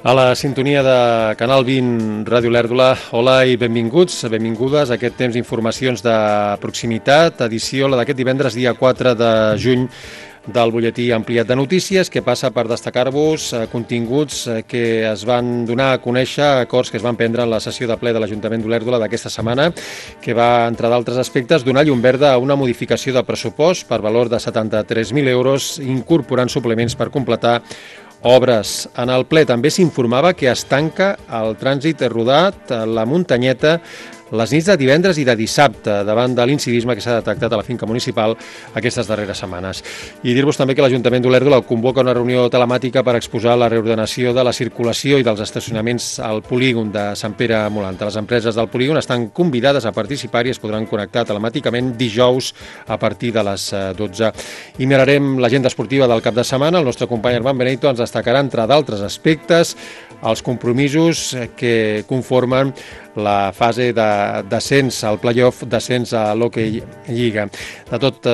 A la sintonia de Canal 20 Ràdio Olèrdola, hola i benvinguts, benvingudes a aquest temps d'informacions de proximitat, edició la d'aquest divendres, dia 4 de juny, del butlletí ampliat de notícies, que passa per destacar-vos continguts que es van donar a conèixer, acords que es van prendre en la sessió de ple de l'Ajuntament d'Olèrdola d'aquesta setmana, que va, entre d'altres aspectes, donar llum verda a una modificació de pressupost per valor de 73.000 euros, incorporant suplements per completar obres. En el ple també s'informava que es tanca el trànsit rodat a la Muntanyeta les nits de divendres i de dissabte davant de l'incivisme que s'ha detectat a la finca municipal aquestes darreres setmanes. I dir-vos també que l'Ajuntament d'Olèrdola convoca una reunió telemàtica per exposar la reordenació de la circulació i dels estacionaments al polígon de Sant Pere Molanta. Les empreses del polígon estan convidades a participar i es podran connectar telemàticament dijous a partir de les 12. I mirarem l'agenda esportiva del cap de setmana. El nostre company Armand Benito ens destacarà, entre d'altres aspectes, els compromisos que conformen la fase de descens al play-off, descens a l'Hockey Lliga. De tot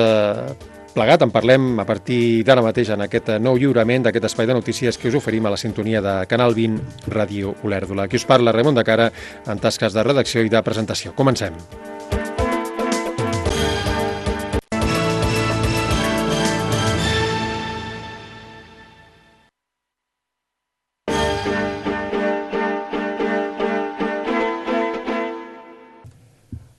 plegat en parlem a partir d'ara mateix en aquest nou lliurament d'aquest espai de notícies que us oferim a la sintonia de Canal 20 Ràdio Olèrdola. Aquí us parla Raimon de Cara en tasques de redacció i de presentació. Comencem.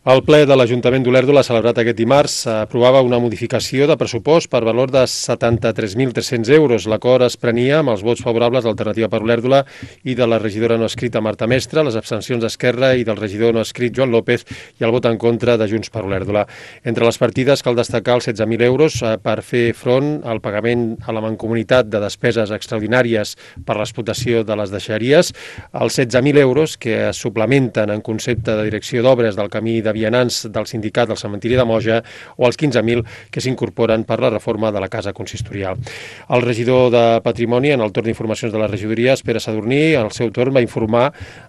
El ple de l'Ajuntament d'Olèrdola, celebrat aquest dimarts, aprovava una modificació de pressupost per valor de 73.300 euros. L'acord es prenia amb els vots favorables d'Alternativa per Olèrdola i de la regidora no escrita Marta Mestre, les abstencions d'Esquerra i del regidor no escrit Joan López i el vot en contra de Junts per Olèrdola. Entre les partides cal destacar els 16.000 euros per fer front al pagament a la Mancomunitat de despeses extraordinàries per l'explotació de les deixeries, els 16.000 euros que es suplementen en concepte de direcció d'obres del camí de vianants del sindicat del cementiri de Moja o els 15.000 que s'incorporen per la reforma de la casa consistorial. El regidor de Patrimoni, en el torn d'informacions de la regidoria, Pere Sadurní, al seu torn va informar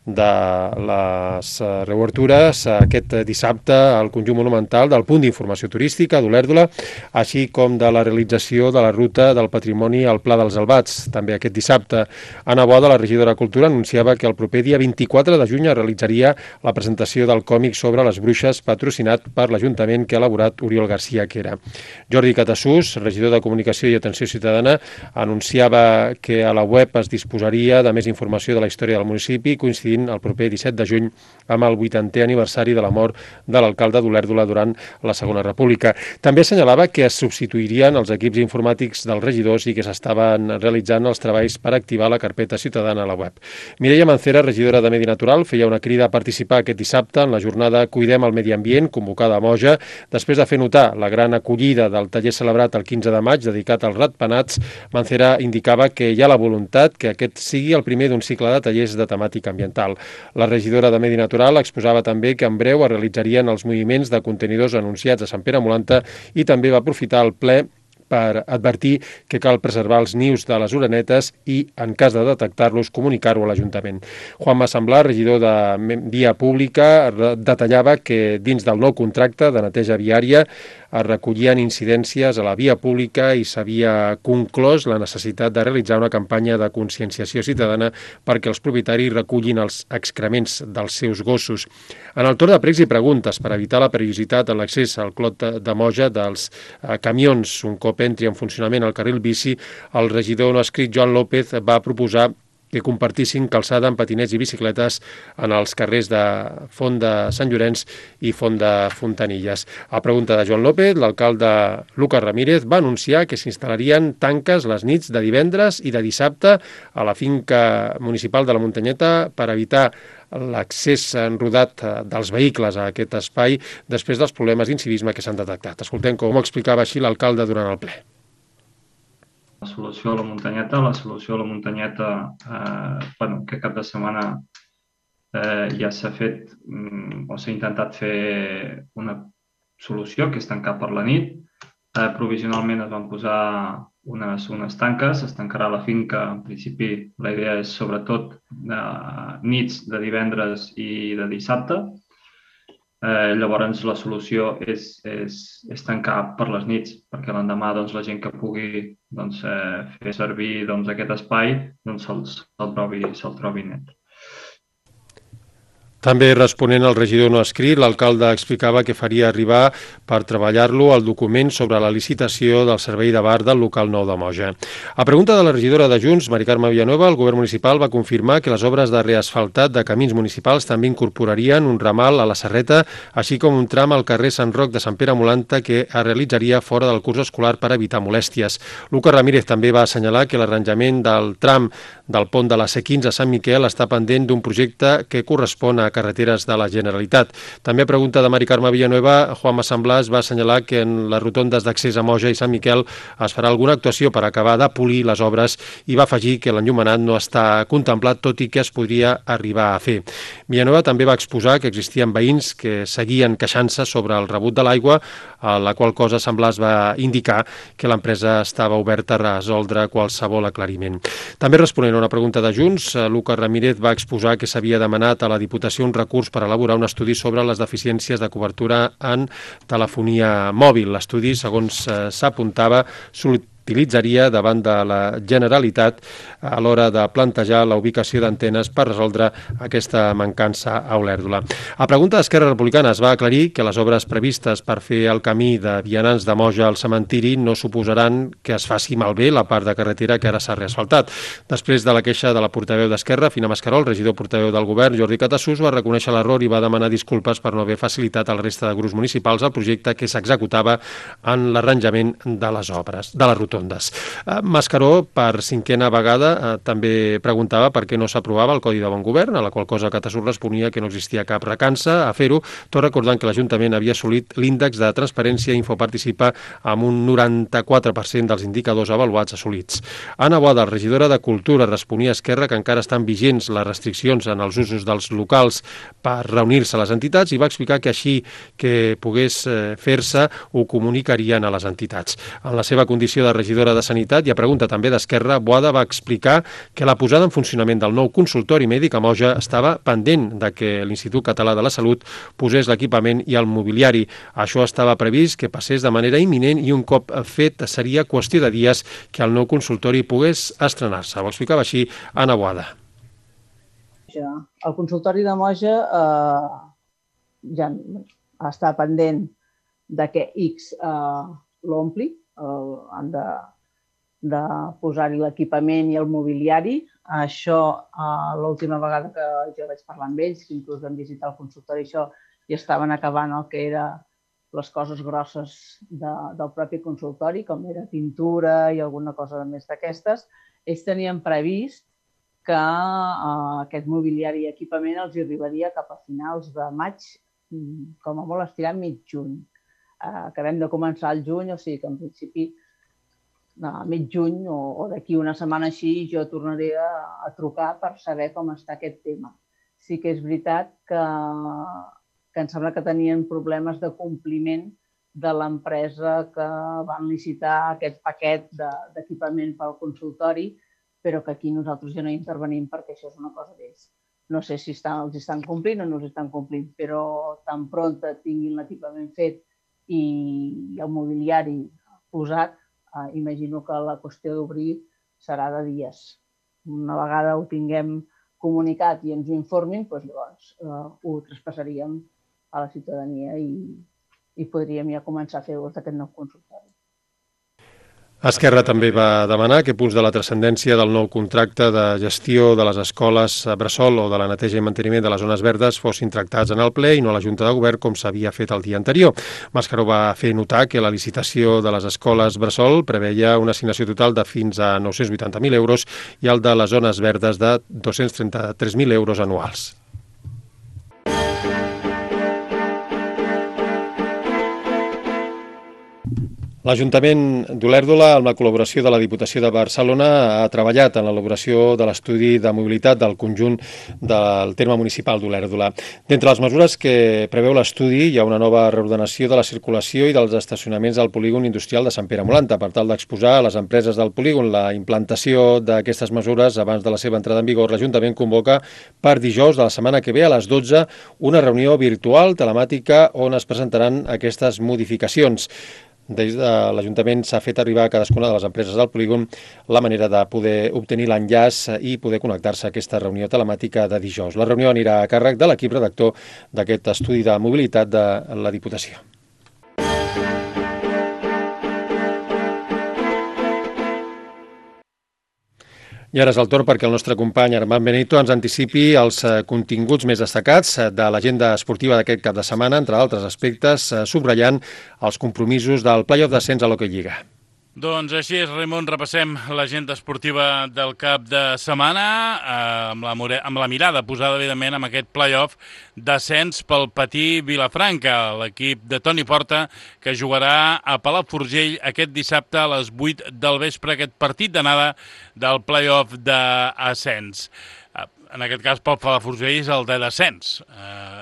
de les reobertures aquest dissabte al conjunt monumental del punt d'informació turística d'Olèrdola, així com de la realització de la ruta del patrimoni al Pla dels Albats. També aquest dissabte, Anna Boada, la regidora de Cultura, anunciava que el proper dia 24 de juny es realitzaria la presentació del còmic sobre les bruixes patrocinat per l'Ajuntament que ha elaborat Oriol García Quera. Jordi Catassús, regidor de Comunicació i Atenció Ciutadana, anunciava que a la web es disposaria de més informació de la història del municipi, coincidint el proper 17 de juny amb el 80è aniversari de la mort de l'alcalde d'Olèrdola durant la Segona República. També assenyalava que es substituirien els equips informàtics dels regidors i que s'estaven realitzant els treballs per activar la carpeta ciutadana a la web. Mireia Mancera, regidora de Medi Natural, feia una crida a participar aquest dissabte en la jornada Cuidem el Medi Ambient, convocada a Moja, després de fer notar la gran acollida del taller celebrat el 15 de maig dedicat als ratpenats. Mancera indicava que hi ha la voluntat que aquest sigui el primer d'un cicle de tallers de temàtica ambiental. La regidora de Medi Natural exposava també que en breu es realitzarien els moviments de contenidors anunciats a Sant Pere Molanta i també va aprofitar el ple per advertir que cal preservar els nius de les orenetes i, en cas de detectar-los, comunicar-ho a l'Ajuntament. Juanma Samblar, regidor de Via Pública, detallava que dins del nou contracte de neteja viària es recollien incidències a la via pública i s'havia conclòs la necessitat de realitzar una campanya de conscienciació ciutadana perquè els propietaris recullin els excrements dels seus gossos. En el torn de pregs i preguntes per evitar la perillositat en l'accés al Clot de Moja dels camions un cop entri en funcionament el carril bici, el regidor no escrit Joan López va proposar que compartissin calçada amb patinets i bicicletes en els carrers de Font de Sant Llorenç i Font de Fontanilles. A pregunta de Joan López, l'alcalde Lucas Ramírez va anunciar que s'instal·larien tanques les nits de divendres i de dissabte a la finca municipal de la Muntanyeta per evitar l'accés rodat dels vehicles a aquest espai després dels problemes d'incivisme que s'han detectat. Escoltem com ho explicava així l'alcalde durant el ple. La solució a la Muntanyeta, aquest cap de setmana ja s'ha fet o s'ha intentat fer una solució que és tancar per la nit. Provisionalment es van posar unes tanques, es tancarà la finca. En principi la idea és sobretot nits de divendres i de dissabte. Llavors la solució és tancar per les nits, perquè l'endemà la gent que pugui fer servir aquest espai se'l trobi net. També responent al regidor no escrit, l'alcalde explicava que faria arribar per treballar-lo el document sobre la licitació del servei de bar del local nou de Moja. A pregunta de la regidora de Junts, Mari Carme Villanueva, el govern municipal va confirmar que les obres de reasfaltat de camins municipals també incorporarien un ramal a la Serreta, així com un tram al carrer Sant Roc de Sant Pere Molanta que es realitzaria fora del curs escolar per evitar molèsties. Lucas Ramírez també va assenyalar que l'arranjament del tram del pont de la C15 a Sant Miquel està pendent d'un projecte que correspon a carreteres de la Generalitat. També a pregunta de Mari Carme Villanueva, Juanma Samblàs va assenyalar que en les rotondes d'accés a Moja i Sant Miquel es farà alguna actuació per acabar de polir les obres i va afegir que l'enllumenat no està contemplat, tot i que es podria arribar a fer. Villanueva també va exposar que existien veïns que seguien queixant-se sobre el rebut de l'aigua, a la qual cosa Samblàs va indicar que l'empresa estava oberta a resoldre qualsevol aclariment. També responent a una pregunta de Junts, Lucas Ramírez va exposar que s'havia demanat a la Diputació un recurs per elaborar un estudi sobre les deficiències de cobertura en telefonia mòbil. L'estudi, segons s'apuntava, utilitzaria davant de la Generalitat a l'hora de plantejar la ubicació d'antenes per resoldre aquesta mancança a Olèrdola. A pregunta d'Esquerra Republicana es va aclarir que les obres previstes per fer el camí de vianants de Moja al cementiri no suposaran que es faci malbé la part de carretera que ara s'ha reasfaltat. Després de la queixa de la portaveu d'Esquerra, Fina Mascarol, regidor portaveu del govern, Jordi Catassús, va reconèixer l'error i va demanar disculpes per no haver facilitat a la resta de grups municipals el projecte que s'executava en l'arranjament de les obres, de les rotondes. Mascaró, per cinquena vegada, també preguntava per què no s'aprovava el Codi de Bon Govern, a la qual cosa Catassús responia que no existia cap recança a fer-ho, tot recordant que l'Ajuntament havia assolit l'índex de transparència Infoparticipa amb un 94% dels indicadors avaluats assolits. Anna Boada, regidora de Cultura, responia a Esquerra que encara estan vigents les restriccions en els usos dels locals per reunir-se a les entitats i va explicar que així que pogués fer-se ho comunicarien a les entitats. En la seva condició de regidora de Sanitat i a pregunta també d'Esquerra, Boada va explicar que la posada en funcionament del nou consultori mèdic a Moja estava pendent de que l'Institut Català de la Salut posés l'equipament i el mobiliari. Això estava previst que passés de manera imminent i un cop fet seria qüestió de dies que el nou consultori pogués estrenar-se. Ho explicava així Anna Boada. El consultori de Moja ja està pendent de que X l'ompli, han de posar-hi l'equipament i el mobiliari. Això, l'última vegada que jo vaig parlar amb ells, que inclús vam visitar el consultori, això ja estaven acabant el que era les coses grosses del propi consultori, com era pintura i alguna cosa més d'aquestes. Ells tenien previst que aquest mobiliari i equipament els arribaria cap a finals de maig, com a molt estirat mig juny. Acabem de començar el juny, o sigui que en principi a mig juny o d'aquí una setmana així jo tornaré a trucar per saber com està aquest tema. Sí que és veritat que em sembla que tenien problemes de compliment de l'empresa que van licitar aquest paquet d'equipament pel consultori, però que aquí nosaltres ja no intervenim perquè això és una cosa d'ells. No sé si els estan complint o no els estan complint, però tan prompte tinguin l'equipament fet i el mobiliari posat, imagino que la qüestió d'obrir serà de dies. Una vegada ho tinguem comunicat i ens ho informin, llavors ho traspassaríem a la ciutadania i podríem ja començar a fer ús d'aquest nou consultori. Esquerra també va demanar que punts de la transcendència del nou contracte de gestió de les escoles bressol o de la neteja i manteniment de les zones verdes fossin tractats en el ple i no a la Junta de Govern com s'havia fet el dia anterior. Mascaró va fer notar que la licitació de les escoles bressol preveia una assignació total de fins a 980.000 euros i el de les zones verdes de 233.000 euros anuals. L'Ajuntament d'Olèrdola, amb la col·laboració de la Diputació de Barcelona, ha treballat en l'elaboració de l'estudi de mobilitat del conjunt del terme municipal d'Olèrdola. D'entre les mesures que preveu l'estudi hi ha una nova reordenació de la circulació i dels estacionaments del polígon industrial de Sant Pere Molanta, per tal d'exposar a les empreses del polígon la implantació d'aquestes mesures abans de la seva entrada en vigor. L'Ajuntament convoca per dijous de la setmana que ve a les 12 una reunió virtual telemàtica on es presentaran aquestes modificacions. Des de l'Ajuntament s'ha fet arribar a cadascuna de les empreses del polígon la manera de poder obtenir l'enllaç i poder connectar-se a aquesta reunió telemàtica de dijous. La reunió anirà a càrrec de l'equip redactor d'aquest estudi de mobilitat de la Diputació. I ara és el torn perquè el nostre company Armand Benito ens anticipi els continguts més destacats de l'agenda esportiva d'aquest cap de setmana, entre altres aspectes, subratllant els compromisos del play-off d'ascens a l'Hockey Lliga. Doncs així és, Raimon, repassem l'agenda esportiva del cap de setmana amb la mirada posada, evidentment, amb aquest play-off d'ascens pel Patí Vilafranca, l'equip de Toni Porta, que jugarà a Palafrugell aquest dissabte a les 8 del vespre, aquest partit d'anada del play-off d'ascens. En aquest cas, pel Palafrugell és el de descens,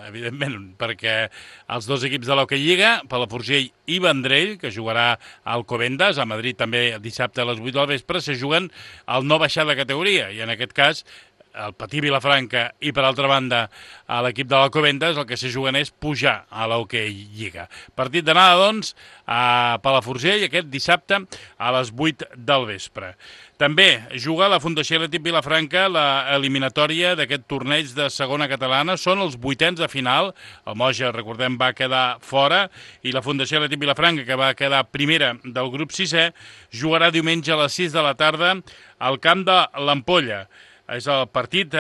evidentment, perquè els dos equips de l'Hockey Lliga, Palafrugell i Vendrell, que jugarà al Alcobendas, a Madrid també dissabte a les 8 del vespre, se juguen el no baixar de categoria, i en aquest cas el Patí Vilafranca i, per altra banda, a l'equip de l'Alcobendas, el que se juguen és pujar a l'Hockey Lliga. Partit d'anada, doncs, a Palafrugell aquest dissabte a les 8 del vespre. També juga la Fundació Atlètic Vilafranca l'eliminatòria d'aquest torneig de segona catalana. Són els 8ens de final. El Moja, recordem, va quedar fora i la Fundació Atlètic Vilafranca, que va quedar primera del grup 6è, jugarà diumenge a les 6 de la tarda al camp de l'Ampolla. És el partit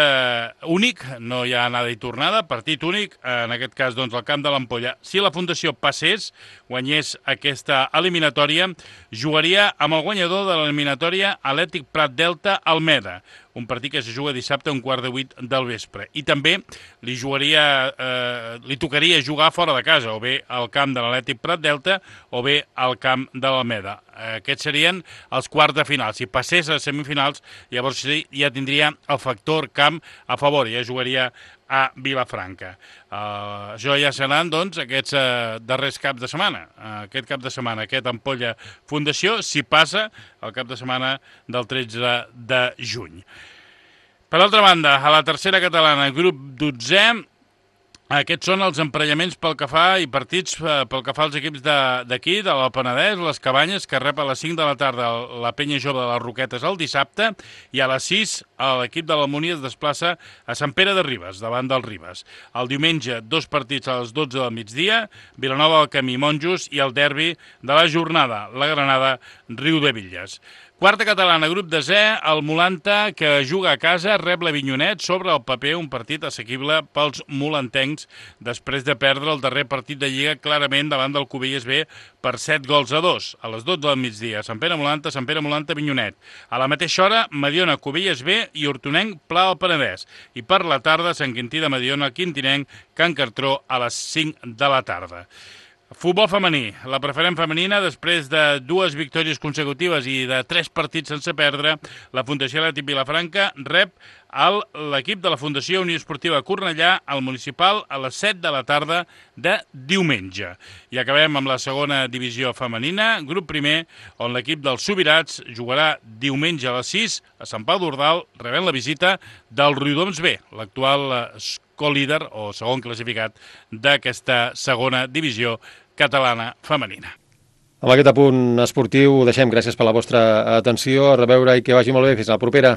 únic, no hi ha anada i tornada, partit únic, en aquest cas doncs al camp de l'Ampolla. Si la Fundació passés, guanyés aquesta eliminatòria, jugaria amb el guanyador de l'eliminatòria Atlètic Prat Delta Almeda, un partit que se juga dissabte a 7:15 del vespre. I també li tocaria jugar fora de casa, o bé al camp de l'Atlètic Prat Delta o bé al camp de l'Almeda. Aquests serien els quarts de final. Si passés a semifinals, llavors ja tindria el factor camp a favor, ja jugaria a Vilafranca. Això ja seran, doncs, aquests darrers caps de setmana. Aquest cap de setmana, aquest Ampolla Fundació, si passa el cap de setmana del 13 de juny. Per altra banda, a la tercera catalana, grup 12è, aquests són els emparellaments pel que fa i partits pel que fa als equips d'aquí, de l'Alt Penedès, les Cabanyes, que rep a les 5 de la tarda la Penya Jove de les Roquetes el dissabte, i a les 6 l'equip de l'Almúnia es desplaça a Sant Pere de Ribes, davant del Ribes. El diumenge, 2 partits a les 12 del migdia, Vilanova del Camí, Monjos, i el derbi de la jornada, la Granada, Riu de Villes. Quarta catalana, grup 10è, el Molanta, que juga a casa, rep l'Avinyonet, sobre el paper un partit assequible pels molantencs, després de perdre el darrer partit de Lliga clarament davant del Cubelles B per 7-2. A les 12 del migdia, Sant Pere Molanta, Avinyonet. A la mateixa hora, Mediona, Cubelles B i Hortonenc, Pla del Penedès. I per la tarda, Sant Quintí de Mediona, Quintinenc, Can Cartró, a les 5 de la tarda. Futbol femení. La preferent femenina, després de 2 victòries consecutives i de 3 partits sense perdre, la Fundació Atlètic Vilafranca rep l'equip de la Fundació Unió Esportiva Cornellà al municipal a les 7 de la tarda de diumenge. I acabem amb la segona divisió femenina, grup primer, on l'equip dels Subirats jugarà diumenge a les 6 a Sant Pau d'Ordal, rebent la visita del Riudoms B, l'actual co-líder o segon classificat d'aquesta segona divisió catalana femenina. Amb aquest apunt esportiu ho deixem. Gràcies per la vostra atenció. A reveure i que vagi molt bé. Fins a la propera.